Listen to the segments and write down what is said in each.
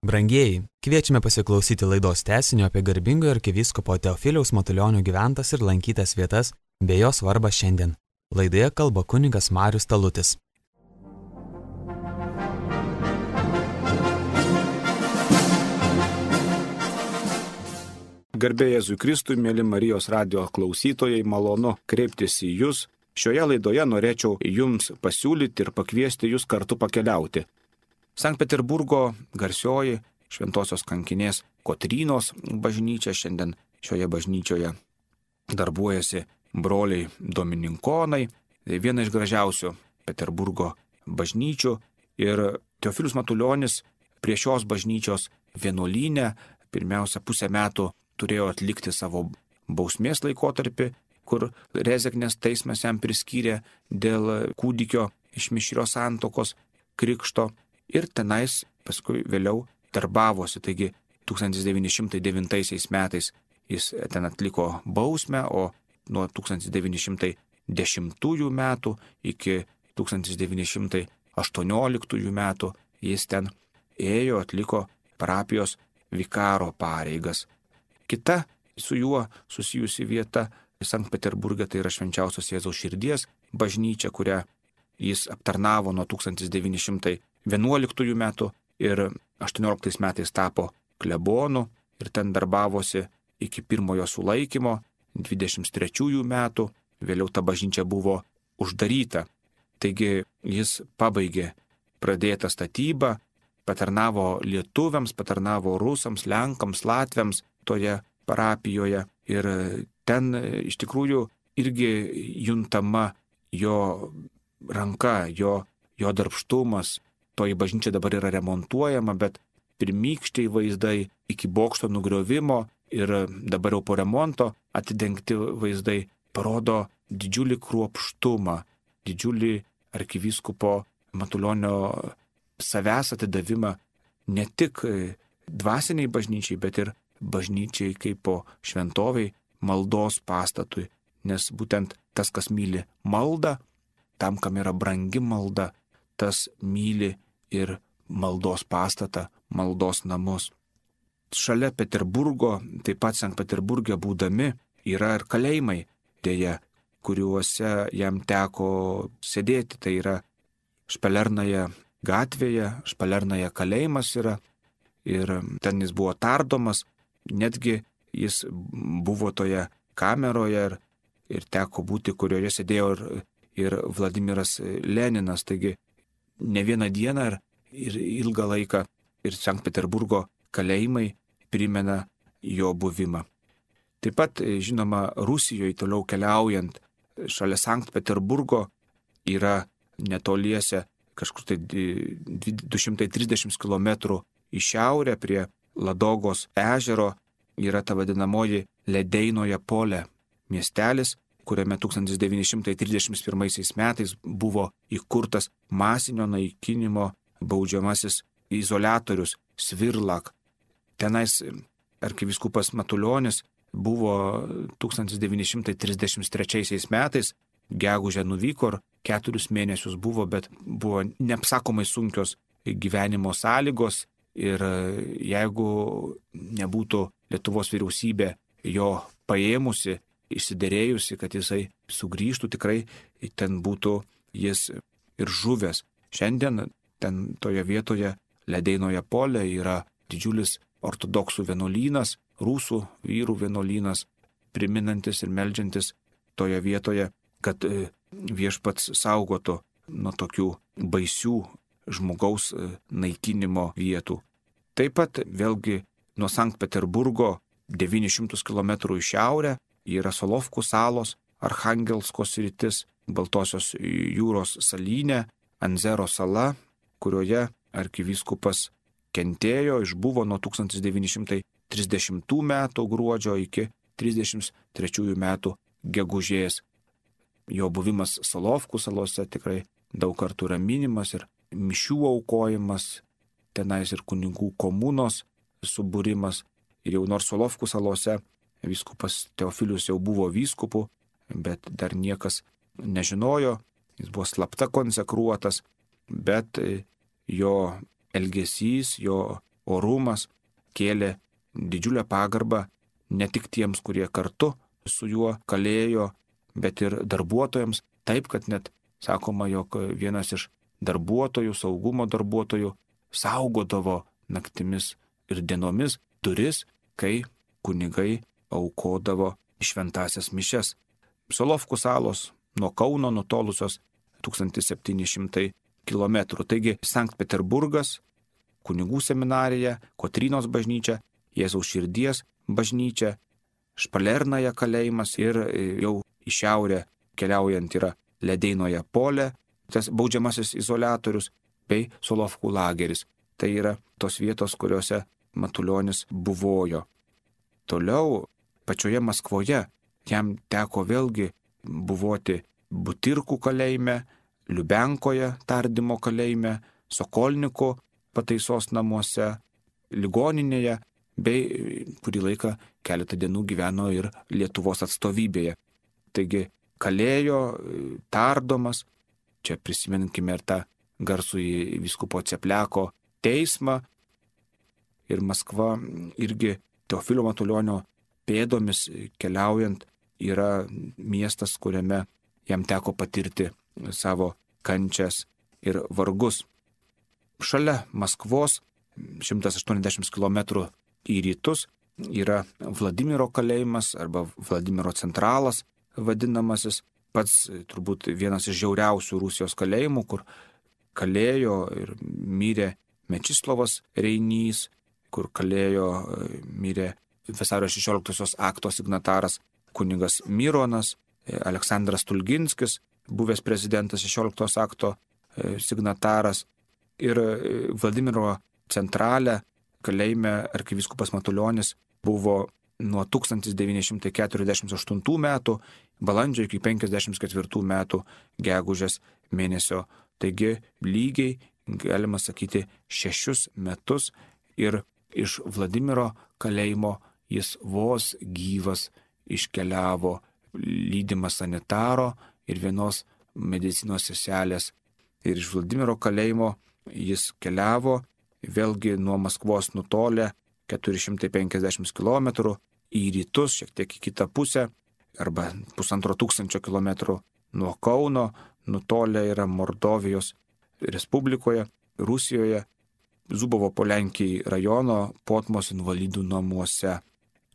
Brangieji, kviečiame pasiklausyti laidos tęsinio apie garbingojo arkivyskupo Teofiliaus Matulionio gyventas ir lankytas vietas bei jo svarbą šiandien. Laidoje kalba kunigas Marius Talutis. Garbė Jėzui Kristui, mėly Marijos radijo klausytojai, malonu kreiptis į jūs. Šioje laidoje norėčiau jums pasiūlyti ir pakviesti jūs kartu pakeliauti. Sankt Peterburgo garsioji šventosios kankinės Kotrynos bažnyčia. Šiandien šioje bažnyčioje darbuojasi broliai domininkonai. Tai viena iš gražiausių Peterburgo bažnyčių. Ir Teofilius Matulionis prie šios bažnyčios vienuolyne pirmiausia pusę metų turėjo atlikti savo bausmės laikotarpį, kur Rezeknės teismas jam priskyrė dėl kūdikio iš mišrios santuokos krikšto ir tenais paskui vėliau darbavosi. Taigi 1909 metais jis ten atliko bausmę, o nuo 1910 metų iki 1918 metų jis ten ėjo, atliko parapijos vikaro pareigas. Kita su juo susijusi vieta Sankt Peterburge tai yra Švenčiausios Jėzaus širdies bažnyčia, kurią jis aptarnavo nuo 1911 metų ir 18 metais tapo klebonu ir ten darbavosi iki pirmojo sulaikymo 23 metų. Vėliau ta bažnyčia buvo uždaryta. Taigi jis pabaigė pradėtą statybą, patarnavo lietuviams, patarnavo rusams, lenkams, latviams toje parapijoje ir ten iš tikrųjų irgi juntama jo ranka, jo darbštumas. Toji bažnyčia dabar yra remontuojama, bet pirmykščiai vaizdai iki bokšto nugriovimo ir dabar jau po remonto atidengti vaizdai parodo didžiulį kruopštumą, didžiulį arkivyskupo Matulionio savęs atidavimą ne tik dvasiniai bažnyčiai, bet ir bažnyčiai kaip po šventoviai, maldos pastatui. Nes būtent tas, kas myli maldą, tam, kam yra brangi malda, tas myli ir maldos pastatą, maldos namus. Šalia Peterburgo, taip pat Sankt Peterburge būdami, yra ir kalėjimai, dėja, kuriuose jam teko sėdėti. Tai yra Špelernaja gatvėje, Špelernaja kalėjimas yra ir ten jis buvo tardomas, netgi jis buvo toje kameroje ir teko būti, kurioje sėdėjo ir Vladimiras Leninas. Taigi ne vieną dieną ir ilgą laiką ir Sankt Peterburgo kalėjimai primena jo buvimą. Taip pat, žinoma, Rusijoje toliau keliaujant, šalia Sankt Peterburgo yra netoliese kažkur tai 230 km į šiaurę prie Ladogos ežero yra ta vadinamoji Ledeinoje Polė miestelis, kuriame 1931 metais buvo įkurtas masinio naikinimo baudžiamasis izoliatorius Svirlak. Tenais arkivyskupas Matulionis buvo 1933 metais, gegužę nuvyko ir 4 mėnesius buvo, bet buvo neapsakomai sunkios gyvenimo sąlygos ir jeigu nebūtų Lietuvos vyriausybė jo paėmusi, išsiderėjusi, kad jisai sugrįžtų, tikrai ten būtų jis ir žuvęs. Šiandien ten toje vietoje Ledeinoje Polė yra didžiulis ortodoksų vienuolynas, rusų vyrų vienuolynas, priminantis ir meldžiantis toje vietoje, kad viešpats saugotų nuo tokių baisių žmogaus naikinimo vietų. Taip pat vėlgi nuo Sankt Peterburgo 900 km į šiaurę yra Solovkų salos, Archangelskos sritis, Baltosios jūros salyne, Anzero sala, kurioje arkivyskupas kentėjo, išbuvo nuo 1930 metų gruodžio iki 1933 metų gegužės. Jo buvimas Solovkų salose tikrai daug kartų yra minimas ir mišių aukojimas, tenais ir kunigų komunos subūrimas. Ir jau nors Solovkų salose vyskupas Teofilius jau buvo vyskupu, bet dar niekas nežinojo, jis buvo slapta konsekruotas, bet jo elgesys, jo orumas kėlė didžiulę pagarbą ne tik tiems, kurie kartu su juo kalėjo, bet ir darbuotojams. Taip, kad net sakoma, jog vienas iš darbuotojų, saugumo darbuotojų, saugodavo naktimis ir dienomis duris, kai kunigai aukodavo šventasias mišias. Solovkų salos nuo Kauno nutolusios 1700 km. Taigi Sankt Peterburgas, kunigų seminarija, Kotrynos bažnyčia, Jėzaus širdies bažnyčia, Špalernaja kalėjimas ir jau į šiaurę keliaujant yra Ledeinoje Polė, tas baudžiamasis izoliatorius, bei Solovkų lageris. Tai yra tos vietos, kuriuose Matulionis buvojo. Toliau pačioje Maskvoje jam teko vėlgi buvoti Butirkų kalėjime, Liubiankoje tardymo kalėjime, Sokolniko pataisos namuose, ligoninėje, bei kurį laiką keletą dienų gyveno ir Lietuvos atstovybėje. Taigi kalėjo, tardomas, čia prisiminkime ir tą garsųjį vyskupo Cepliako teismą, ir Maskva irgi Teofilio Matulionio pėdomis keliaujant yra miestas, kuriame jam teko patirti savo kančias ir vargus. Šalia Maskvos 180 km į rytus yra Vladimiro kalėjimas arba Vladimiro centralas vadinamasis, pats turbūt vienas iš žiauriausių Rusijos kalėjimų, kur kalėjo ir mirė Mečislovas Reinys, kur kalėjo, mirė vasario 16 akto signataras kunigas Mironas, Aleksandras Tulginskis, buvęs prezidentas 16 akto signataras, ir Vladimiro centrale kalėjime arkivyskupas Matulionis buvo nuo 1948 metų balandžio iki 1954 metų gegužės mėnesio. Taigi lygiai, galima sakyti, 6 metus, ir iš Vladimiro kalėjimo jis vos gyvas iškeliavo, lydimas sanitaro ir vienos medicinos seselės. Ir iš Vladimiro kalėjimo jis keliavo, vėlgi nuo Maskvos nutolę 450 km į rytus, šiek tiek į kitą pusę, arba 1500 km nuo Kauno, nutolę yra Mordovijos Respublikoje, Rusijoje, Zubovo Polenkijai rajono Potmos invalidų namuose.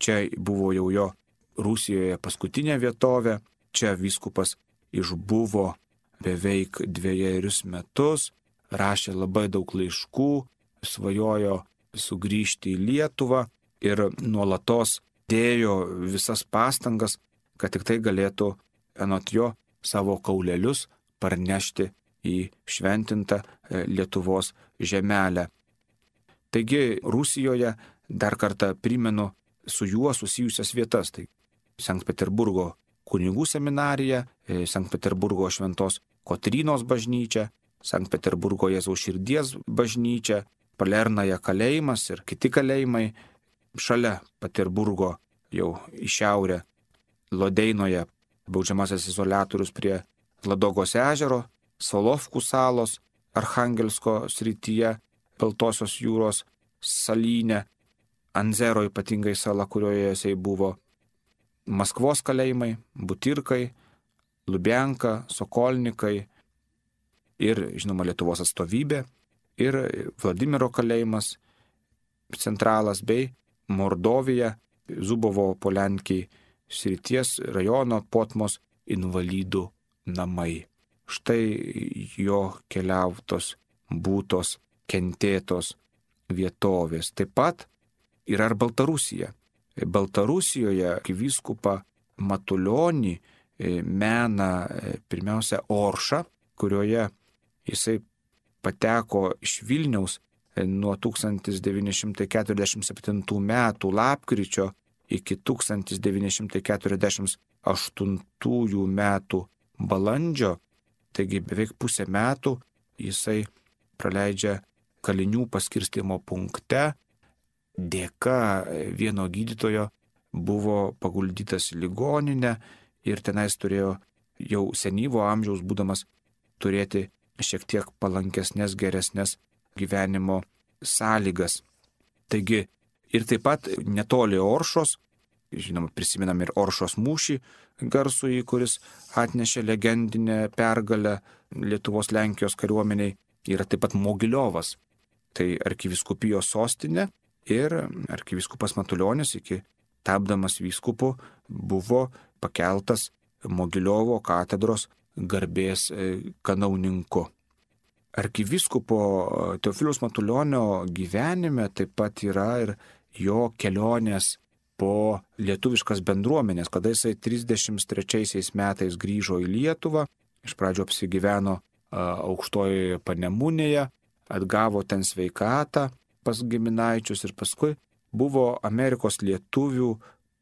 Čia buvo jau jo Rusijoje paskutinė vietovė, čia vyskupas išbuvo beveik 2 metus, rašė labai daug laiškų, svajojo sugrįžti į Lietuvą ir nuolatos dėjo visas pastangas, kad tik tai galėtų anot jo savo kaulelius parnešti į šventintą Lietuvos žemelę. Taigi Rusijoje, dar kartą primenu, su juo susijusias vietas, tai Sankt Peterburgo kunigų seminarija, Sankt Peterburgo šventos Kotrynos bažnyčia, Sankt Peterburgo Jėzaus širdies bažnyčia, Palernaja kalėjimas ir kiti kalėjimai, šalia Peterburgo jau į šiaurę Lodeinoje baudžiamasis izoliatorius prie Ladogos ežero, Solovkų salos, Archangelsko srityje, Baltosios jūros salyne, Anzero ypatingai sala, kurioje jisai buvo, Maskvos kalėjimai, Butirkai, Lubianka, Sokolnikai ir, žinoma, Lietuvos atstovybė, ir Vladimiro kalėjimas, centralas, bei Mordovija, Zubovo Polenkiai srities rajono Potmos invalidų namai. Štai jo keliautos, būtos, kentėtos vietovės. Taip pat yra ir Baltarusija. Baltarusijoje arkivyskupą Matulionį mena pirmiausia Orša, kurioje jisai pateko iš Vilniaus nuo 1947 metų lapkričio iki 1948 metų balandžio, taigi beveik pusę metų jisai praleidžia kalinių paskirstymo punkte. Dėka vieno gydytojo buvo paguldytas į ligoninę ir tenais turėjo jau senyvo amžiaus būdamas turėti šiek tiek palankesnės, geresnės gyvenimo sąlygas. Taigi ir taip pat netoli Oršos, žinoma, prisimenam ir Oršos mūšį garsųjį, kuris atnešė legendinę pergalę Lietuvos Lenkijos kariuomeniai, yra taip pat Mogiliovas. Tai arkivyskupijos sostinė ir arkivyskupas Matulionis iki tapdamas vyskupu buvo pakeltas Mogiliovo katedros garbės kanauninku. Arkivyskupo Teofiliaus Matulionio gyvenime taip pat yra ir jo kelionės po lietuviškas bendruomenės, kada jisai 33 metais grįžo į Lietuvą, iš pradžio apsigyveno Aukštojoje Panemunėje, atgavo ten sveikatą pas giminaičius ir paskui buvo Amerikos lietuvių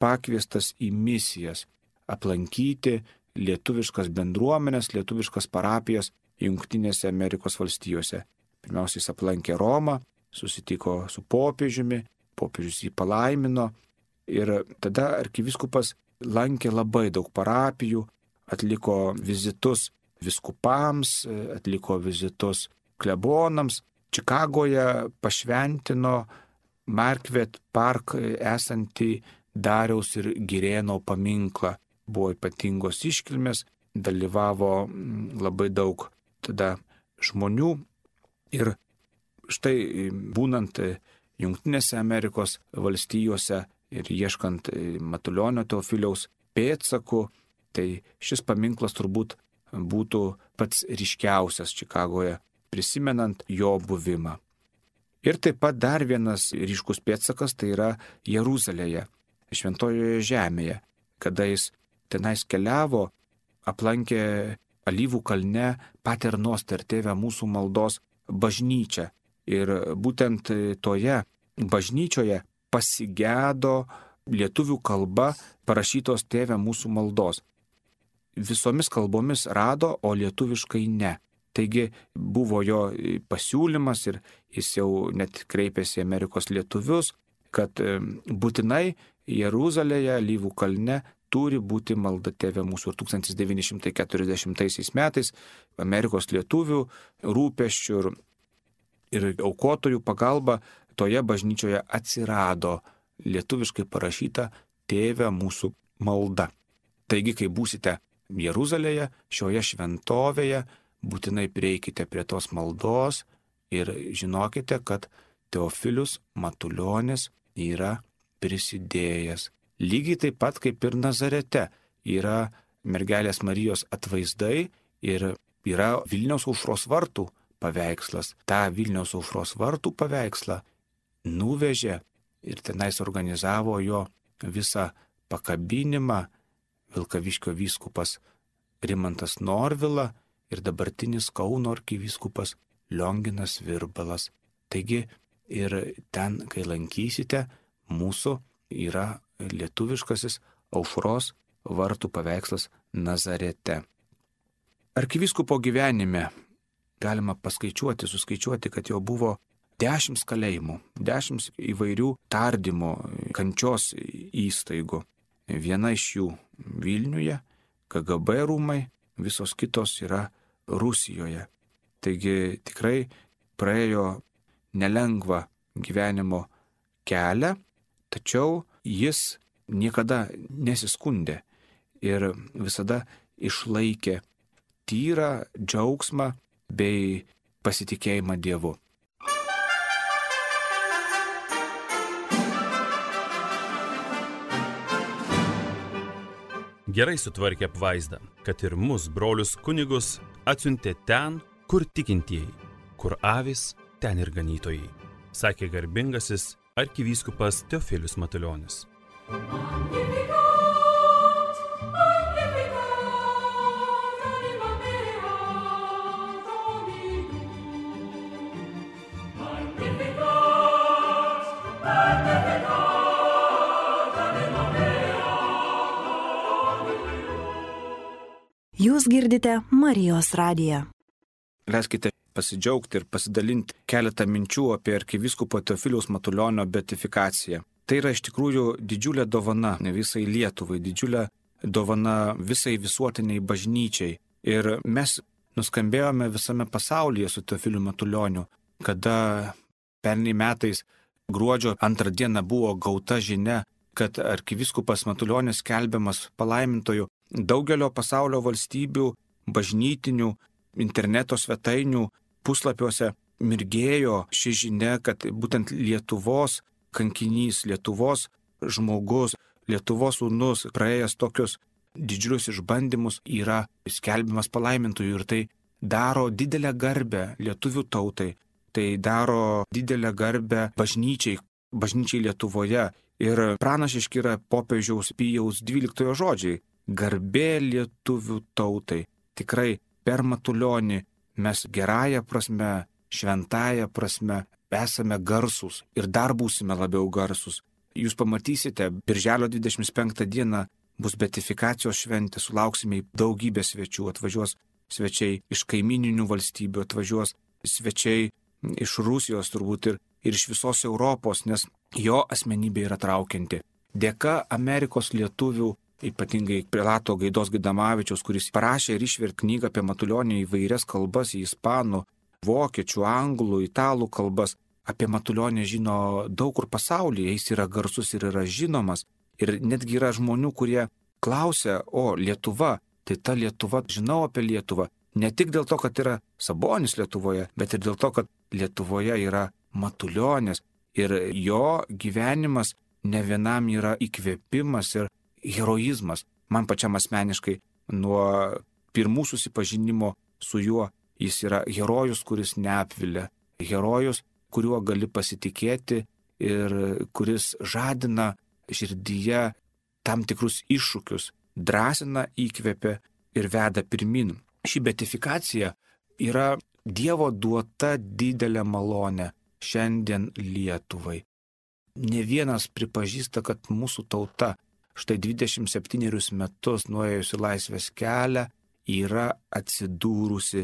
pakviestas į misijas aplankyti lietuviškas bendruomenės, lietuviškas parapijas Jungtinėse Amerikos valstijose. Pirmiausia, jis aplankė Romą, susitiko su popiežiumi, popiežius jį palaimino ir tada arkivyskupas lankė labai daug parapijų, atliko vizitus viskupams, atliko vizitus klebonams. Čikagoje pašventino Marquette Park esantį Dariaus ir Girėno paminklą. Buvo ypatingos iškilmės, dalyvavo labai daug tada žmonių ir štai būnant Jungtinėse Amerikos valstijose ir ieškant Matulionio Teofiliaus pėdsakų, tai šis paminklas turbūt būtų pats ryškiausias Čikagoje, prisimenant jo buvimą. Ir taip pat dar vienas ryškus pėdsakas tai yra Jeruzalėje, Šventojoje žemėje, kada jis tenais keliavo, aplankė Alyvų kalne Pater Noster, Tėve mūsų maldos bažnyčią. Ir būtent toje bažnyčioje pasigėdo lietuvių kalba parašytos Tėve mūsų maldos. Visomis kalbomis rado, o lietuviškai ne. Taigi buvo jo pasiūlymas ir jis jau net kreipėsi į Amerikos lietuvius, kad būtinai Jeruzalėje, Alyvų kalne turi būti malda Tėve mūsų. Ir 1940 metais Amerikos lietuvių rūpesčių ir aukotojų pagalba toje bažnyčioje atsirado lietuviškai parašyta Tėve mūsų malda. Taigi, kai būsite Jeruzalėje, šioje šventovėje, būtinai prieikite prie tos maldos ir žinokite, kad Teofilius Matulionis yra prisidėjęs. Lygiai taip pat kaip ir Nazarete yra mergelės Marijos atvaizdai ir yra Vilniaus aušros vartų paveikslas. Ta Vilniaus aušros vartų paveikslą nuvežė ir tenais organizavo jo visą pakabinimą Vilkaviškio vyskupas Rimantas Norvila ir dabartinis Kauno arkivyskupas Lionginas Virbalas. Taigi ir ten, kai lankysite, mūsų yra lietuviškasis aušros vartų paveikslas Nazarete. Arkivyskupo gyvenime galima suskaičiuoti, kad jo buvo 10 kalėjimų, 10 įvairių tardymo, kančios įstaigų. Viena iš jų Vilniuje, KGB rūmai, visos kitos yra Rusijoje. Taigi tikrai praėjo nelengvą gyvenimo kelią, tačiau jis niekada nesiskundė ir visada išlaikė tyrą džiaugsmą bei pasitikėjimą Dievu. Gerai sutvarkė apvaizdą, kad ir mus, brolius kunigus, atsiuntė ten, kur tikintieji, kur avys, ten ir ganytojai, sakė garbingasis arkivyskupas Teofilius Matulionis. Jūs girdite Marijos radiją. Leiskite pasidžiaugti ir pasidalinti keletą minčių apie arkivyskupo Teofiliaus Matulionio beatifikaciją. Tai yra iš tikrųjų didžiulė dovana visai Lietuvai, didžiulė dovana visai visuotiniai bažnyčiai. Ir mes nuskambėjome visame pasaulyje su Teofiliu Matulioniu, kada pernai metais gruodžio 2 dieną buvo gauta žinia, kad arkivyskupas Matulionis skelbiamas palaimintoju. Daugelio pasaulio valstybių bažnytinių interneto svetainių puslapiuose mirgėjo ši žinia, kad būtent Lietuvos kankinys, Lietuvos žmogus, Lietuvos sūnus, praėjęs tokius didžiulius išbandymus, yra skelbiamas palaimintoju. Ir tai daro didelę garbę lietuvių tautai, tai daro didelę garbę bažnyčiai Lietuvoje. Ir pranašiški yra popiežiaus Pijaus XII žodžiai: garbė lietuvių tautai. Tikrai per Matulionį mes gerąją prasme, šventąją prasme esame garsūs ir dar būsime labiau garsūs. Jūs pamatysite, birželio 25 dieną bus beatifikacijos šventė, sulauksime daugybę svečių, atvažiuos svečiai iš kaimininių valstybių, atvažiuos svečiai iš Rusijos turbūt ir iš visos Europos, nes jo asmenybė yra traukianti. Dėka Amerikos lietuvių, ypatingai prelato Gaidos Gaidamavičiaus, kuris parašė ir išvertė knygą apie Matulionį į įvairias kalbas, į ispanų, vokiečių, anglų, italų kalbas. Apie Matulionį žino daug kur pasaulyje, jis yra garsus ir yra žinomas. Ir netgi yra žmonių, kurie klausia: o Lietuva, tai ta Lietuva, žinau apie Lietuvą. Ne tik dėl to, kad yra Sabonis Lietuvoje, bet ir dėl to, kad Lietuvoje yra Matulionis. Ir jo gyvenimas ne vienam yra įkvėpimas ir heroizmas. Man pačiam asmeniškai nuo pirmų susipažinimo su juo jis yra herojus, kuris neapvilia. Herojus, kuriuo gali pasitikėti ir kuris žadina širdyje tam tikrus iššūkius, drąsina, įkvepia ir veda pirmin. Ši beatifikacija yra Dievo duota didelė malonė šiandien Lietuvai. Ne vienas pripažįsta, kad mūsų tauta štai 27 metus nuėjusi laisvės kelią yra atsidūrusi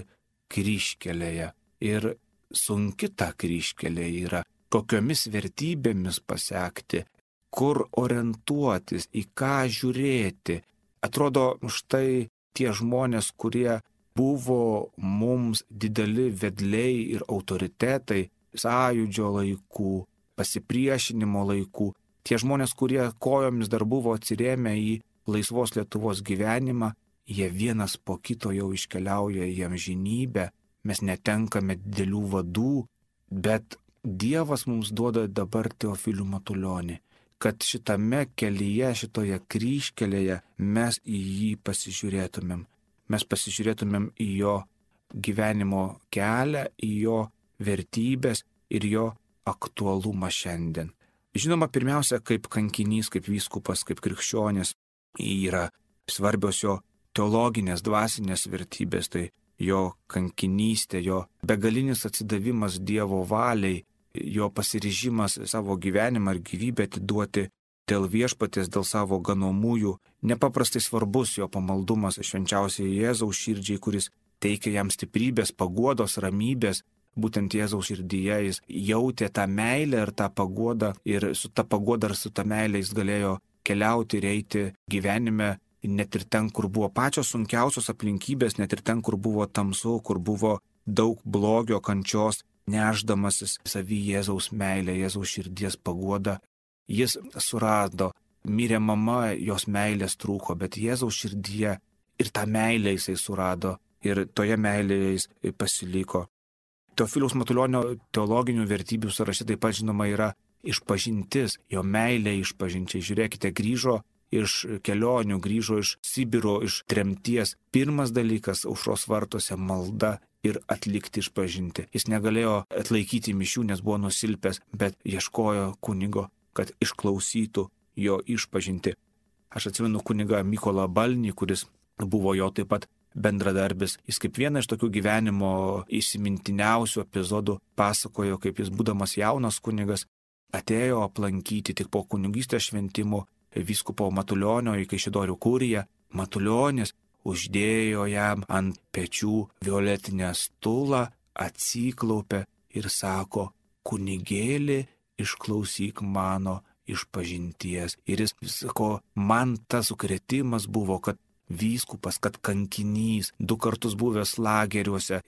kryžkelėje. Ir sunki ta kryžkelė yra, kokiomis vertybėmis pasekti, kur orientuotis, į ką žiūrėti. Atrodo, štai tie žmonės, kurie buvo mums dideli vedliai ir autoritetai sąjūdžio laikų, pasipriešinimo laikų, tie žmonės, kurie kojomis dar buvo atsirėmę į laisvos Lietuvos gyvenimą, jie vienas po kito jau iškeliauja į amžinybę, mes netenkame didelių vadų, bet Dievas mums duoda dabar Teofilių Matulionį, kad šitame kelyje, šitoje kryžkelėje mes į jį pasižiūrėtumėm. Mes pasižiūrėtumėm į jo gyvenimo kelią, į jo vertybės ir jo aktualumą šiandien. Žinoma, pirmiausia, kaip kankinys, kaip vyskupas, kaip krikščionis, yra svarbios jo teologinės, dvasinės vertybės, tai jo kankinystė, jo begalinis atsidavimas Dievo valiai, jo pasiryžimas savo gyvenimą ir gyvybę atiduoti dėl viešpaties, dėl savo ganomųjų. Nepaprastai svarbus jo pamaldumas švenčiausiai Jėzaus širdžiai, kuris teikia jam stiprybės, paguodos, ramybės. Būtent Jėzaus širdyje jis jautė tą meilę ir tą paguodą, ir su ta paguoda ir su ta meilė jis galėjo keliauti ir eiti gyvenime, net ir ten, kur buvo pačios sunkiausios aplinkybės, net ir ten, kur buvo tamsu, kur buvo daug blogio, kančios, nešdamasis savy Jėzaus meilę, Jėzaus širdies paguodą. Jis surado, mirė mama, jos meilės trūko, bet Jėzaus širdyje ir tą meilę jisai surado ir toje meilėje jis pasiliko. Teofiliaus Matulionio teologinių vertybių sąraše taip pat žinoma yra išpažintis, jo meilė išpažinčiai. Žiūrėkite, grįžo iš kelionių, grįžo iš Sibiro, iš tremties. Pirmas dalykas aušros vartuose malda ir atlikti išpažinti. Jis negalėjo atlaikyti mišių, nes buvo nusilpęs, bet ieškojo kunigo, kad išklausytų jo išpažinti. Aš atsimenu kunigą Mykolą Balnį, kuris buvo jo taip pat bendradarbis. Jis kaip vieną iš tokių gyvenimo įsimintiniausių epizodų pasakojo, kaip jis būdamas jaunas kunigas atėjo aplankyti tik po kunigystės šventimų vyskupo Matulionio į Kaišiadorių kuriją. Matulionis uždėjo jam ant pečių violetinę stulą, atsiklaupė ir sako: kunigėli, išklausyk mano išpažinties. Ir jis sako, man tas sukrėtimas buvo, kad vyskupas, kad kankinys, 2 kartus buvęs lageriuose,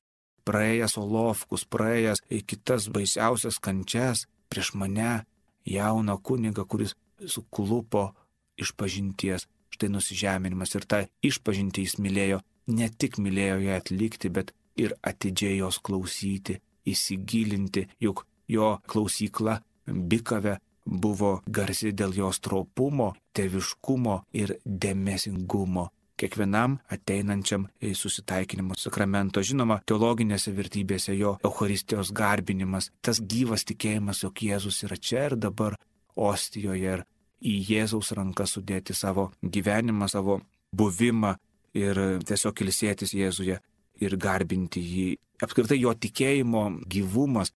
praėjęs Olovkus, praėjęs kitas baisiausias kančias, prieš mane jauną kunigą, kuris suklupo išpažinties. Štai nusižeminimas ir tą išpažintį jis mylėjo, ne tik mylėjo ją atlikti, bet ir atidžiai jos klausyti, įsigilinti, juk jo klausykla Bikave buvo garsi dėl jos stropumo, tėviškumo ir dėmesingumo kiekvienam ateinančiam susitaikinimo sakramento. Žinoma, teologinėse vertybėse jo Eucharistijos garbinimas, tas gyvas tikėjimas, jog Jėzus yra čia ir dabar ostijoje ir į Jėzaus ranką sudėti savo gyvenimą, savo buvimą ir tiesiog ilsėtis Jėzuje ir garbinti jį. Apskritai jo tikėjimo gyvumas,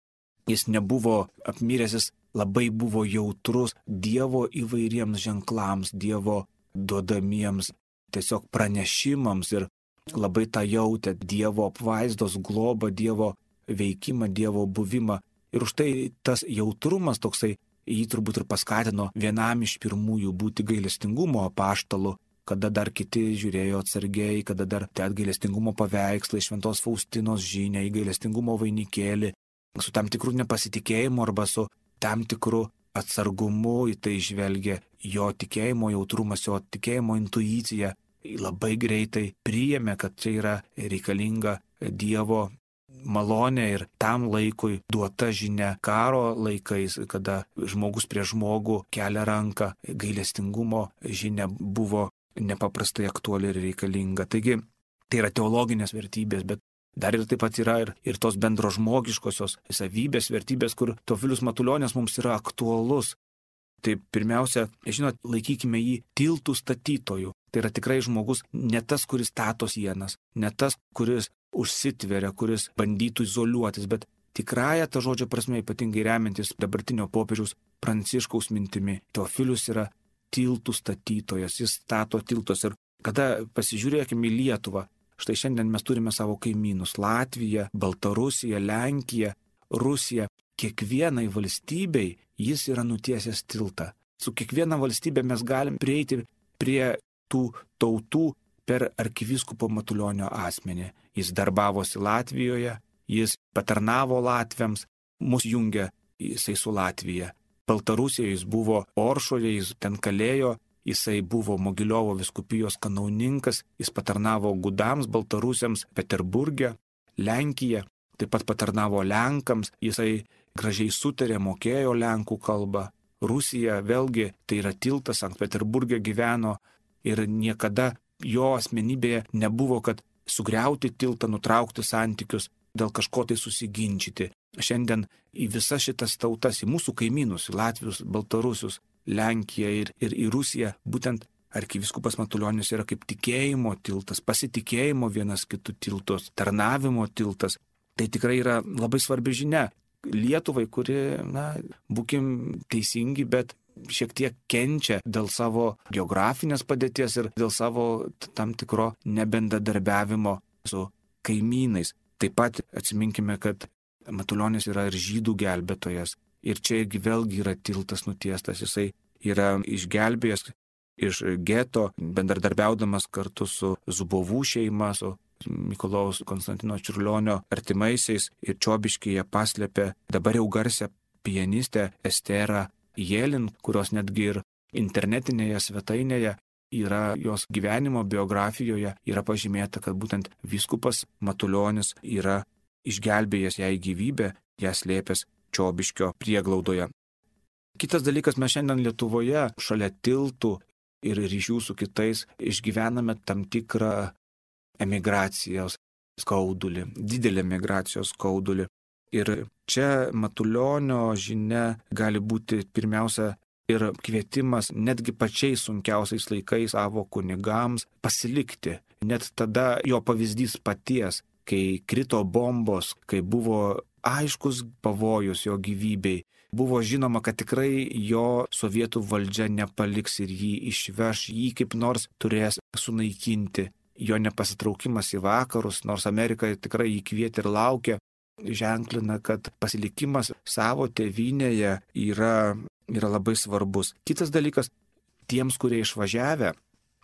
jis nebuvo apmiręs, jis labai buvo jautrus Dievo įvairiems ženklams, Dievo duodamiems tiesiog pranešimams ir labai tą jautė Dievo apvaizdos globą, Dievo veikimą, Dievo buvimą. Ir už tai tas jautrumas toksai jį turbūt ir paskatino vienam iš pirmųjų būti gailestingumo apaštalu, kada dar kiti žiūrėjo atsargiai, kada dar gailestingumo paveikslai, Šventos Faustinos žinia, į gailestingumo vainikėlį, su tam tikru nepasitikėjimu arba su tam tikru atsargumu į tai žvelgia jo tikėjimo jautrumas, jo tikėjimo intuicija. Labai greitai priėmė, kad čia yra reikalinga Dievo malonė ir tam laikui duota žinia. Karo laikais, kada žmogus prieš žmogų kelia ranką, gailestingumo žinia buvo nepaprastai aktuali ir reikalinga. Taigi tai yra teologinės vertybės, bet dar ir taip pat yra ir tos bendro žmogiškosios savybės, vertybės, kur Teofilius Matulionis mums yra aktualus. Tai pirmiausia, žinot, laikykime jį tiltų statytojų. Tai yra tikrai žmogus, ne tas, kuris stato sienas, ne tas, kuris užsitveria, kuris bandytų izoliuotis, bet tikrąją tą žodžio prasme, ypatingai remiantis dabartinio popiežiaus Pranciškaus mintimi. Teofilius yra tiltų statytojas, jis stato tiltus. Ir kada pasižiūrėkime į Lietuvą, štai šiandien mes turime savo kaimynus - Latviją, Baltarusiją, Lenkiją, Rusiją. Kiekvienai valstybei jis yra nutiesęs tiltą. Su kiekviena valstybė mes galim prieiti prie tų tautų per arkivyskupo Matulionio asmenį. Jis darbavosi Latvijoje, jis patarnavo latviams, mus jungia jisai su Latvija. Baltarusijoje jis buvo Oršoje, jis ten kalėjo, jisai buvo Mogiliovo vyskupijos kanauninkas, jis patarnavo gudams baltarusiams Peterburge, Lenkija, taip pat patarnavo Lenkams, jisai gražiai sutarė, mokėjo lenkų kalbą. Rusija vėlgi tai yra tiltas, Sankt Peterburge gyveno ir niekada jo asmenybėje nebuvo, kad sugriauti tiltą, nutraukti santykius, dėl kažko tai susiginčyti. Šiandien į visas šitas tautas, į mūsų kaimynus, į Latvius, Baltarusius, Lenkiją ir į Rusiją, būtent arkivyskupas Matulionis yra kaip tikėjimo tiltas, pasitikėjimo vienas kitų tiltos, tarnavimo tiltas. Tai tikrai yra labai svarbi žinia Lietuvai, kuri, būkim teisingi, bet šiek tiek kenčia dėl savo geografinės padėties ir dėl savo tam tikro nebendradarbiavimo su kaimynais. Taip pat atsiminkime, kad Matulionis yra ir žydų gelbėtojas. Ir čia irgi vėlgi yra tiltas nutiestas. Jisai yra išgelbėjęs iš geto, bendradarbiaudamas kartu su Zubovų šeima, su Mikalojaus Konstantino Čiurlionio artimaisiais ir Čiobiškyje paslėpė dabar jau garsią pianistę Esterą Jelin, kurios netgi ir internetinėje svetainėje yra jos gyvenimo biografijoje yra pažymėta, kad būtent vyskupas Matulionis yra išgelbėjęs jai gyvybę, ją slėpęs Čiobiškio prieglaudoje. Kitas dalykas, mes šiandien Lietuvoje šalia tiltų ir ryšių su kitais išgyvename tam tikrą emigracijos skaudulį, didelį emigracijos skaudulį. Ir čia Matulionio žinia gali būti pirmiausia ir kvietimas netgi pačiais sunkiausiais laikais savo kunigams pasilikti. Net tada jo pavyzdys paties, kai krito bombos, kai buvo aiškus pavojus jo gyvybei, buvo žinoma, kad tikrai jo sovietų valdžia nepaliks ir jį išveš, jį kaip nors turės sunaikinti. Jo nepasitraukimas į vakarus, nors Amerika tikrai jį kvietė ir laukė, ženklina, kad pasilikimas savo tėvynėje yra labai svarbus. Kitas dalykas, tiems, kurie išvažiavę,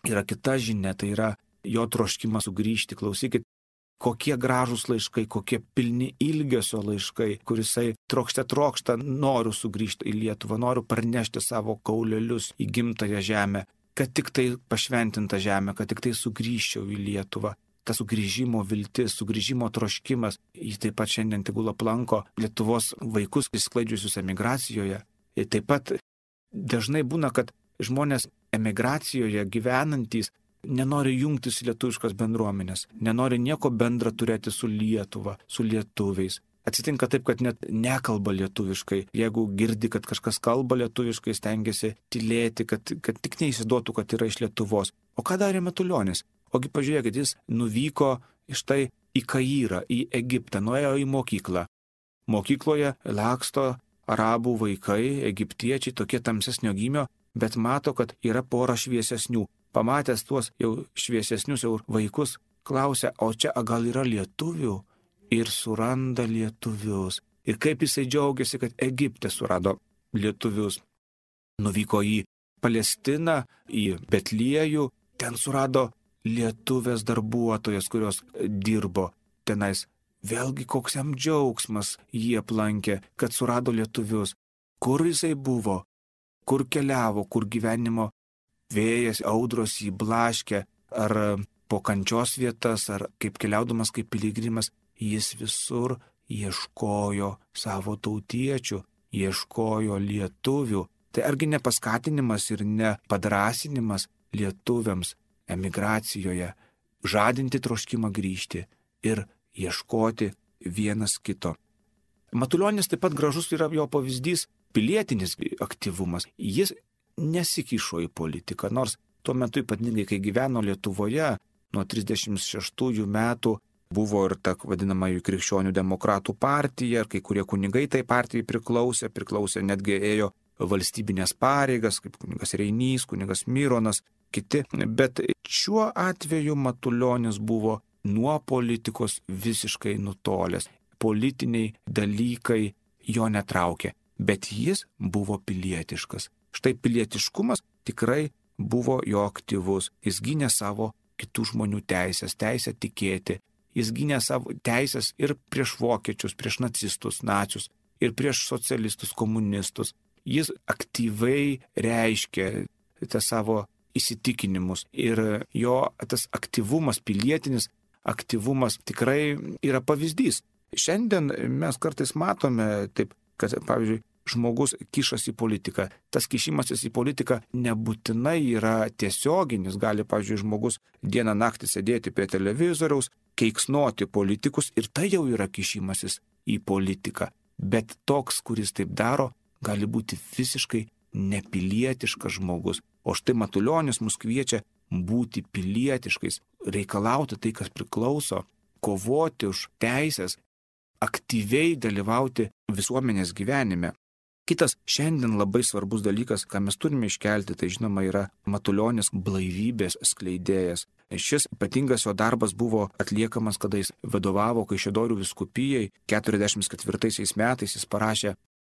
yra kita žinia, tai yra jo troškimas sugrįžti. Klausykit, kokie gražūs laiškai, kokie pilni ilgesio laiškai, kurisai trokšta, noriu sugrįžti į Lietuvą, noriu parnešti savo kaulelius į gimtąją žemę, kad tik tai pašventinta žemė, kad tik tai sugrįžčiau į Lietuvą. Ta sugrįžimo viltis, sugrįžimo troškimas, jį taip pat šiandien tegul aplanko Lietuvos vaikus išsklaidžiusius emigracijoje. Ir taip pat dažnai būna, kad žmonės emigracijoje gyvenantys nenori jungtis į lietuviškas bendruomenės, nenori nieko bendra turėti su Lietuva, su lietuviais. Atsitinka taip, kad net nekalba lietuviškai. Jeigu girdi, kad kažkas kalba lietuviškai, stengiasi tylėti, kad tik neįsiduotų, kad yra iš Lietuvos. O ką darė Matulionis? Ogi pažiūrėkit, jis nuvyko iš tai į Kairą, į Egiptą, nuėjo į mokyklą. Mokykloje laksto arabų vaikai, egiptiečiai, tokie tamsesnio gymio, bet mato, kad yra pora šviesesnių. Pamatęs tuos jau šviesesnius vaikus, klausia, o čia gal yra lietuvių? Ir suranda lietuvius. Ir kaip jisai džiaugiasi, kad Egipte surado lietuvius. Nuvyko į Palestiną, į Betliejų, ten surado lietuvės darbuotojas, kurios dirbo tenais. Vėlgi koks jam džiaugsmas jį aplankė, kad surado lietuvius. Kur jisai buvo, kur keliavo, kur gyvenimo vėjas, audros jį blaškė, ar po kančios vietas, ar kaip keliaudamas kaip piligrimas, jis visur ieškojo savo tautiečių, ieškojo lietuvių. Tai argi ne paskatinimas ir ne padrasinimas lietuviams emigracijoje, žadinti troškimą grįžti ir ieškoti vienas kito. Matulionis taip pat gražus yra jo pavyzdys, pilietinis aktyvumas. Jis nesikišo į politiką, nors tuo metu ypatingai, kai gyveno Lietuvoje, nuo 36 metų buvo ir ta vadinamąjų krikščionių demokratų partija, ir kai kurie kunigai tai partijai priklausė, netgi ėjo valstybinės pareigas, kaip kunigas Reinys, kunigas Mironas, kiti. Bet šiuo atveju Matulionis buvo nuo politikos visiškai nutolęs. Politiniai dalykai jo netraukė, bet jis buvo pilietiškas. Štai pilietiškumas tikrai buvo jo aktyvus. Jis gynė savo kitų žmonių teisę tikėti. Jis gynė savo teisės ir prieš vokiečius, prieš nacistus, nacius, ir prieš socialistus, komunistus. Jis aktyviai reiškė tas savo įsitikinimus ir jo tas aktyvumas, pilietinis aktyvumas tikrai yra pavyzdys. Šiandien mes kartais matome taip, kad, pavyzdžiui, žmogus kišasi į politiką. Tas kišimasis į politiką nebūtinai yra tiesioginis. Gali, pavyzdžiui, žmogus dieną naktį sėdėti prie televizoriaus, keiksnoti politikus ir tai jau yra kišimasis į politiką. Bet toks, kuris taip daro, gali būti visiškai nepilietiškas žmogus. O štai Matulionis mus kviečia būti pilietiškais, reikalauti tai, kas priklauso, kovoti už teisės, aktyviai dalyvauti visuomenės gyvenime. Kitas šiandien labai svarbus dalykas, ką mes turime iškelti, tai žinoma yra Matulionis blaivybės skleidėjas. Šis ypatingas jo darbas buvo atliekamas, kada jis vadovavo Kaišiadorių vyskupijai. 44 metais jis parašė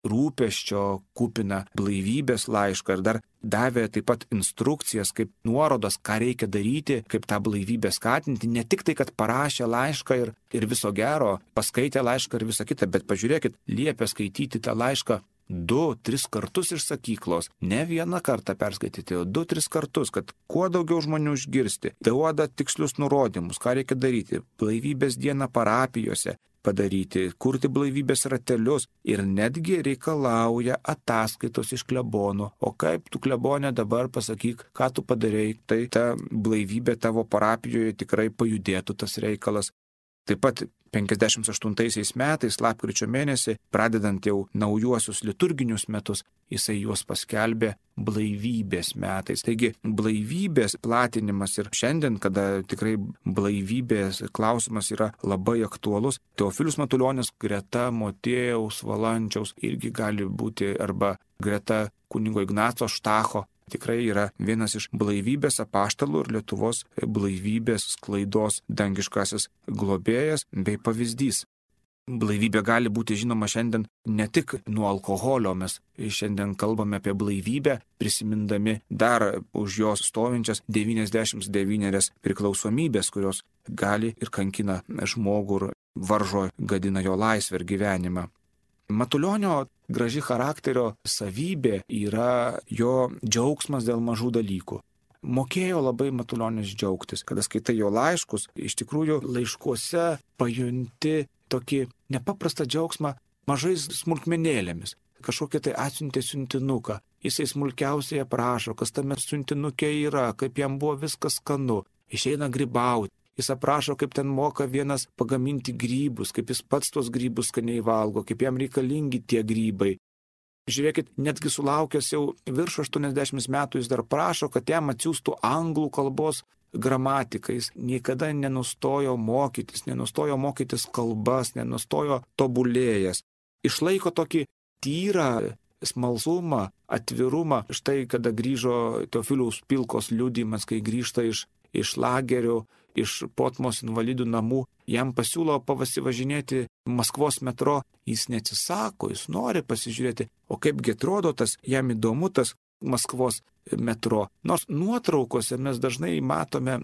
rūpesčio kupiną blaivybės laišką ir dar davė taip pat instrukcijas, kaip nuorodas, ką reikia daryti, kaip tą blaivybę skatinti. Ne tik tai, kad parašė laišką ir viso gero, paskaitė laišką ir visą kitą, bet pažiūrėkit, liepė skaityti tą laišką 2-3 kartus iš sakyklos. Ne vieną kartą perskaityti, o 2-3 kartus, kad kuo daugiau žmonių išgirsti. Duoda tikslius nurodymus, ką reikia daryti. Blaivybės dieną parapijose padaryti, kurti blaivybės ratelius ir netgi reikalauja ataskaitos iš klebono. O kaip tu klebone dabar pasakyk, ką tu padarei, tai ta blaivybė tavo parapijoje tikrai pajudėtų tas reikalas. Taip pat 58 metais, lapkričio mėnesį, pradedant jau naujuosius liturginius metus, jisai juos paskelbė blaivybės metais. Taigi blaivybės platinimas ir šiandien, kada tikrai blaivybės klausimas yra labai aktualus, Teofilius Matulionis greta Motiejaus Valančiaus irgi gali būti arba greta kunigo Ignaco Štacho. Tikrai yra vienas iš blaivybės apaštalų ir Lietuvos blaivybės sklaidos dangiškasis globėjas bei pavyzdys. Blaivybė gali būti žinoma šiandien ne tik nuo alkoholio, mes šiandien kalbame apie blaivybę, prisimindami dar už jos stovinčias 99 priklausomybės, kurios gali ir kankina žmogų ir varžo, gadina jo laisvę ir gyvenimą. Matulionio graži charakterio savybė yra jo džiaugsmas dėl mažų dalykų. Mokėjo labai Matulionis džiaugtis, kada skaitai jo laiškus, iš tikrųjų laiškuose pajunti tokį nepaprastą džiaugsmą mažais smulkmenėlėmis. Kažkokia tai atsiuntė siuntinuką, jisai smulkiausiai aprašo, kas tame siuntinukė yra, kaip jam buvo viskas skanu, išeina grybauti, jis aprašo, kaip ten moka vienas pagaminti grybus, kaip jis pats tos grybus skaniai valgo, kaip jam reikalingi tie grybai. Žiūrėkit, netgi sulaukęs jau virš 80 metų jis dar prašo, kad jam atsiųstų anglų kalbos gramatiką. Jis niekada nenustojo mokytis kalbas, nenustojo tobulėjęs. Išlaiko tokį tyrą smalsumą, atvirumą. Štai kada grįžo Teofiliaus Pilkos liudijimas, kai grįžta iš lagerių, iš Potmos invalidų namų, jam pasiūlo pavasivažinėti Maskvos metro, jis neatsisako, jis nori pasižiūrėti, o kaipgi atrodo tas, jam įdomu tas Maskvos metro. Nors nuotraukose mes dažnai matome,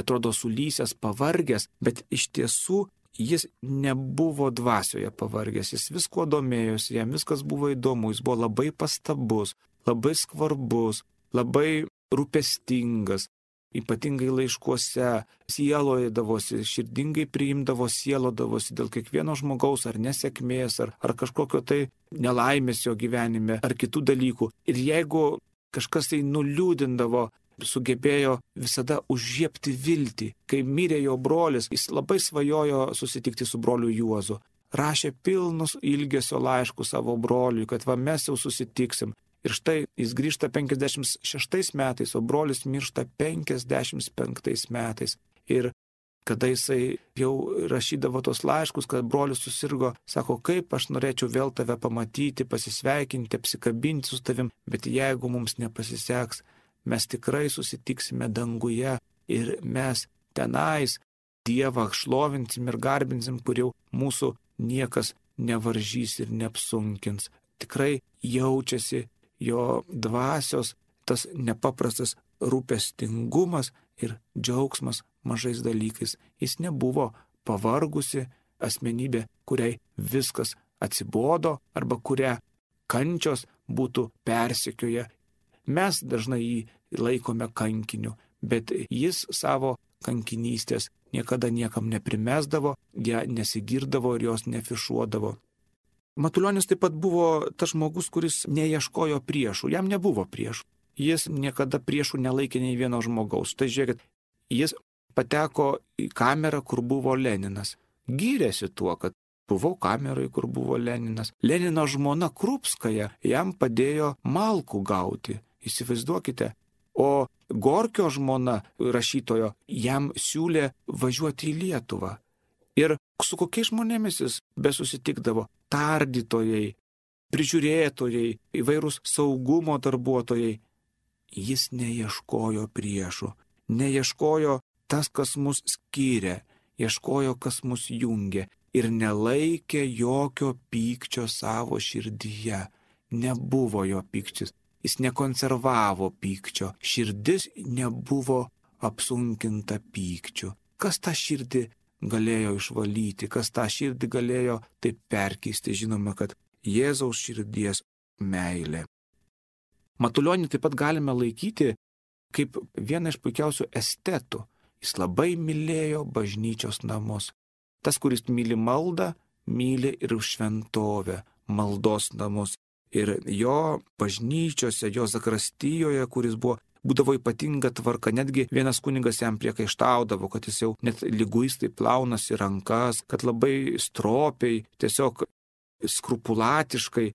atrodo sulysęs, pavargęs, bet iš tiesų jis nebuvo dvasioje pavargęs, jis visko domėjosi, jam viskas buvo įdomu, jis buvo labai pastabus, labai skvarbus, labai rūpestingas. Ypatingai laiškuose sielojadavosi, širdingai priimdavo, sielodavosi dėl kiekvieno žmogaus ar nesėkmės, ar kažkokio tai nelaimės jo gyvenime, ar kitų dalykų. Ir jeigu kažkas tai nuliūdindavo, sugebėjo visada užžiepti viltį. Kai mirė jo brolis, jis labai svajojo susitikti su broliu Juozu. Rašė pilnus ilgesio laiškus savo broliui, kad va mes jau susitiksim. Ir štai jis grįžta 56 metais, o brolis miršta 55 metais. Ir kada jisai jau rašydavo tos laiškus, kad brolis susirgo, sako, kaip aš norėčiau vėl tave pamatyti, pasisveikinti, apsikabinti su tavim, bet jeigu mums nepasiseks, mes tikrai susitiksime danguje ir mes tenais Dievą šlovinsim ir garbinsim, kur jau mūsų niekas nevaržys ir neapsunkins. Tikrai jaučiasi jo dvasios tas nepaprastas rūpestingumas ir džiaugsmas mažais dalykais. Jis nebuvo pavargusi asmenybė, kuriai viskas atsibodo arba kurią kančios būtų persekioję. Mes dažnai jį laikome kankiniu, bet jis savo kankinystės niekada niekam neprimesdavo, ją nesigirdavo ir jos nefišuodavo. Matulionis taip pat buvo tas žmogus, kuris neieškojo priešų, jam nebuvo priešų. Jis niekada priešų nelaikė nei vieno žmogaus. Tai žiūrėkit, jis pateko į kamerą, kur buvo Leninas. Gyrėsi tuo, kad buvau kamerai, kur buvo Leninas. Lenino žmona Krupskaja jam padėjo malkų gauti. Įsivaizduokite. O Gorkio žmona rašytojo jam siūlė važiuoti į Lietuvą. Ir su kokiais žmonėmis jis besusitikdavo? Tardytojai, prižiūrėtojai, įvairūs saugumo darbuotojai. Jis neieškojo priešų, neieškojo tas, kas mus skyrė, ieškojo, kas mus jungė ir nelaikė jokio pykčio savo širdyje. Nebuvo jo pykčis, jis nekonservavo pykčio, širdis nebuvo apsunkinta pykčiu. Kas tą širdį galėjo išvalyti, kas tą širdį galėjo taip perkeisti, žinoma, kad Jėzaus širdies meilė. Matulionį taip pat galime laikyti kaip vieną iš puikiausių estetų. Jis labai mylėjo bažnyčios namus. Tas, kuris myli maldą, myli ir šventovę, maldos namus. Ir jo bažnyčiose, jo zakristijoje, kuris būdavo ypatinga tvarka, netgi vienas kunigas jam priekaištaudavo, kad jis jau net liguistai plaunasi rankas, kad labai stropiai, tiesiog skrupulatiškai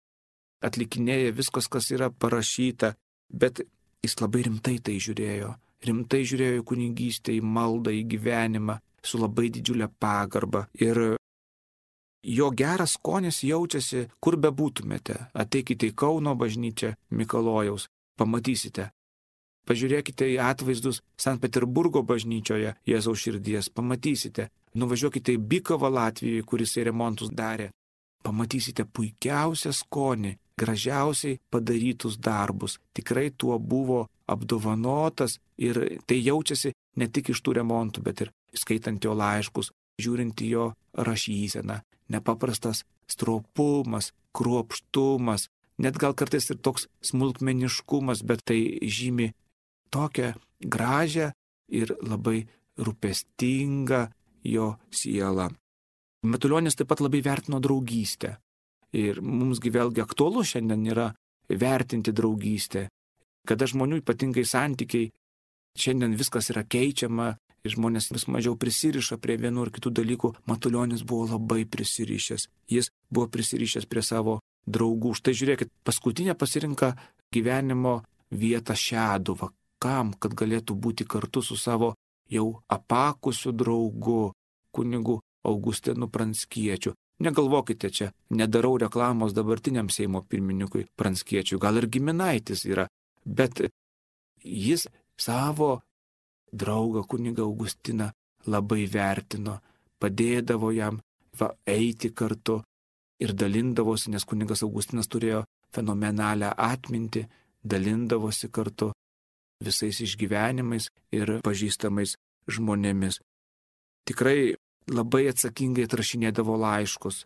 atlikinėja viskas, kas yra parašyta, bet jis labai rimtai tai žiūrėjo. Rimtai žiūrėjo į kunigystę, į maldą, į gyvenimą, su labai didžiulė pagarba. Ir jo geras skonis jaučiasi, kur bebūtumėte. Ateikite į Kauno bažnyčią Mikalojaus, pamatysite. Pažiūrėkite į atvaizdus Sankt Peterburgo bažnyčioje Jėzaus širdies, pamatysite. Nuvažiuokite į Bykovą Latvijoje, kuris remontus darė. Pamatysite puikiausią skonį, gražiausiai padarytus darbus. Tikrai tuo buvo apdovanotas ir tai jaučiasi ne tik iš tų remontų, bet ir skaitant jo laiškus, žiūrint į jo rašyseną. Nepaprastas stropumas, kruopštumas, net gal kartais ir toks smulkmeniškumas, bet tai žymi tokią gražią ir labai rūpestingą jo sielą. Matulionis taip pat labai vertino draugystę. Ir mumsgi vėlgi aktualu šiandien yra vertinti draugystę. Kada žmonių ypatingai santykiai, šiandien viskas yra keičiama, žmonės vis mažiau prisiriša prie vienų ir kitų dalykų, Matulionis buvo labai prisirišęs. Jis buvo prisirišęs prie savo draugų. Štai žiūrėkit, paskutinė pasirinka gyvenimo vietą Šeduvą. Kam? Kad galėtų būti kartu su savo jau apakusiu draugu, kunigu Augustinu Pranckiečiu. Negalvokite čia, nedarau reklamos dabartiniam Seimo pirmininkui Pranckiečiui, gal ir giminaitis yra, bet jis savo draugą kunigą Augustiną labai vertino, padėdavo jam eiti kartu ir dalindavosi, nes kunigas Augustinas turėjo fenomenalią atmintį, dalindavosi kartu visais išgyvenimais ir pažįstamais žmonėmis. Tikrai labai atsakingai atrašinėdavo laiškus,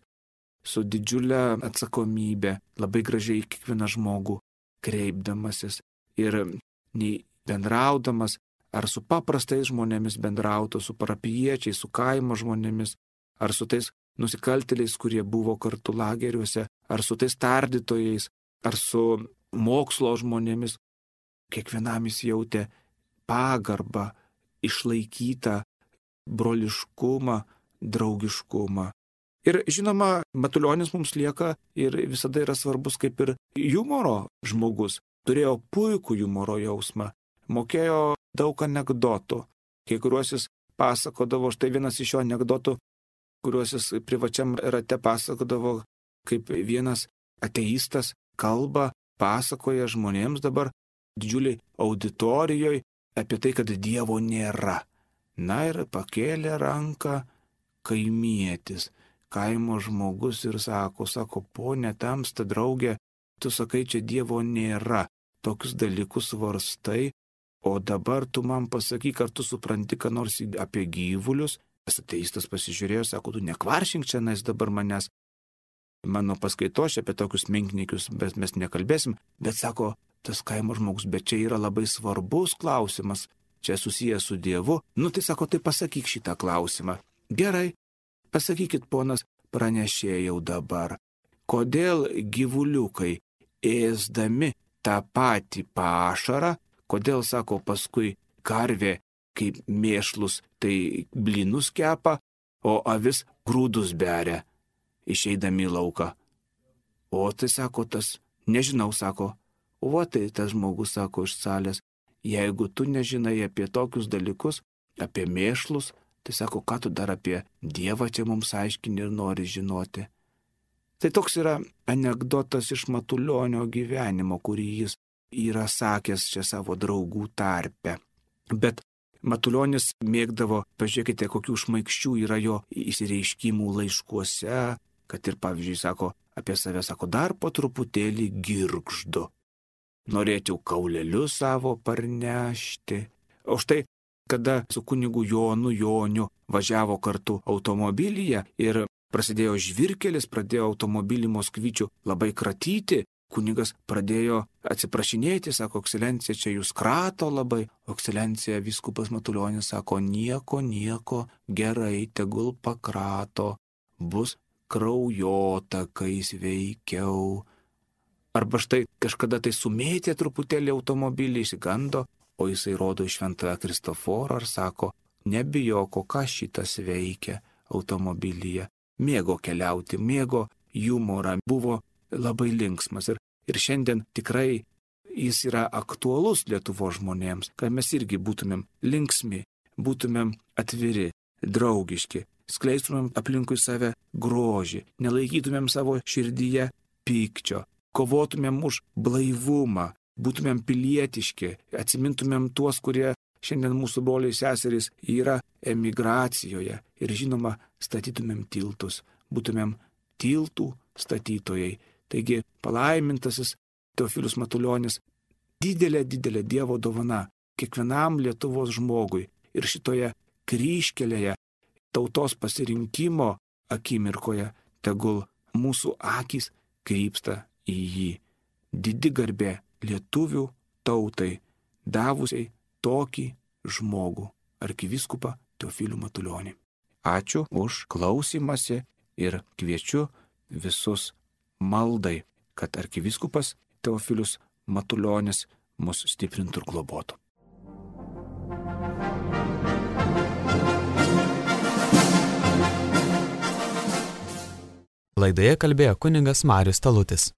su didžiulė atsakomybė, labai gražiai kiekvieną žmogų kreipdamasis ir nei bendraudamas, ar su paprastais žmonėmis bendrauto, su parapijiečiais, su kaimo žmonėmis, ar su tais nusikaltėliais, kurie buvo kartu lageriuose, ar su tais tardytojais, ar su mokslo žmonėmis. Kiekvienam jis jautė pagarbą, išlaikytą broliškumą, draugiškumą. Ir žinoma, Matulionis mums lieka ir visada yra svarbus kaip ir humoro žmogus. Turėjo puikų humoro jausmą, mokėjo daug anekdotų, kai kuriuos jis pasakodavo. Štai vienas iš jo anekdotų, kuriuos jis privačiam rate pasakodavo, kaip vienas ateistas kalba, pasakoja žmonėms dabar didžiuliai auditorijoje apie tai, kad Dievo nėra. Na ir pakėlė ranką kaimietis, kaimo žmogus ir sako, ponė tamsta draugė, tu sakai, čia Dievo nėra, tokius dalykus varstai, o dabar tu man pasakyk, ar tu supranti, ką nors apie gyvulius. Ateistas pasižiūrėjo, sako, tu nekvaršink čia nais dabar manęs. Mano paskaitoš apie tokius menkniekius, bet mes nekalbėsim, bet sako, tas kaimo žmogus, bet čia yra labai svarbus klausimas, čia susijęs su Dievu. Nu tai sako, tai pasakyk šitą klausimą. Gerai, pasakykit, ponas pranešėjau dabar, kodėl gyvuliukai ėsdami tą patį pašarą, kodėl, sako, paskui karvė kaip mėšlus, tai blynus kepa, o avis grūdus beria, išeidami į lauką. O tai, sako, tas, nežinau, sako, o tai tas žmogus, sako, iš salės, jeigu tu nežinai apie tokius dalykus, apie mėšlus, tai sako, ką tu dar apie Dievą čia mums aiškini ir nori žinoti. Tai toks yra anekdotas iš Matulionio gyvenimo, kurį jis yra sakęs čia savo draugų tarpe. Bet Matulionis mėgdavo, pažiūrėkite, kokių šmaikščių yra jo įsireiškimų laiškuose, kad ir, pavyzdžiui, sako, apie save, sako, dar po truputėlį girgždu. Norėčiau kaulelius savo parnešti. O štai, kada su kunigu Jonu Joniu važiavo kartu automobilyje ir prasidėjo žvyrkelis, pradėjo automobilį Moskvyčių labai kratyti, kunigas pradėjo atsiprašinėti, sako, ekscelencija, čia jūs krato labai. Ekscelencija, vyskupas Matulionis sako, nieko, gerai, tegul pakrato, bus kraujotakais veikiau. Arba štai kažkada tai sumėtė truputėlį automobilį, išsigando, o jisai rodo iš Šventąją Kristoforą ir sako, nebijok, ką šitas veikia automobilyje. Mėgo keliauti, mėgo humorą, buvo labai linksmas. Ir šiandien tikrai jis yra aktualus Lietuvos žmonėms, kad mes irgi būtumėm linksmi, būtumėm atviri, draugiški, skleistumėm aplinkui save grožį, nelaikytumėm savo širdyje pykčio, kovotumėm už blaivumą, būtumėm pilietiški, atsimintumėm tuos, kurie šiandien mūsų broliai seserys yra emigracijoje ir žinoma, statytumėm tiltus, būtumėm tiltų statytojai. Taigi palaimintasis Teofilius Matulionis didelė Dievo dovana kiekvienam Lietuvos žmogui ir šitoje kryžkelėje tautos pasirinkimo akimirkoje tegul mūsų akys krypsta į jį. Didi garbė lietuvių tautai davusiai tokį žmogų, arkivyskupą Teofilių Matulionį. Ačiū už klausymąsi ir kviečiu visus maldai, kad arkivyskupas Teofilius Matulionis mus stiprintų ir globotų. Laidoje kalbėjo kunigas Marius Talutis.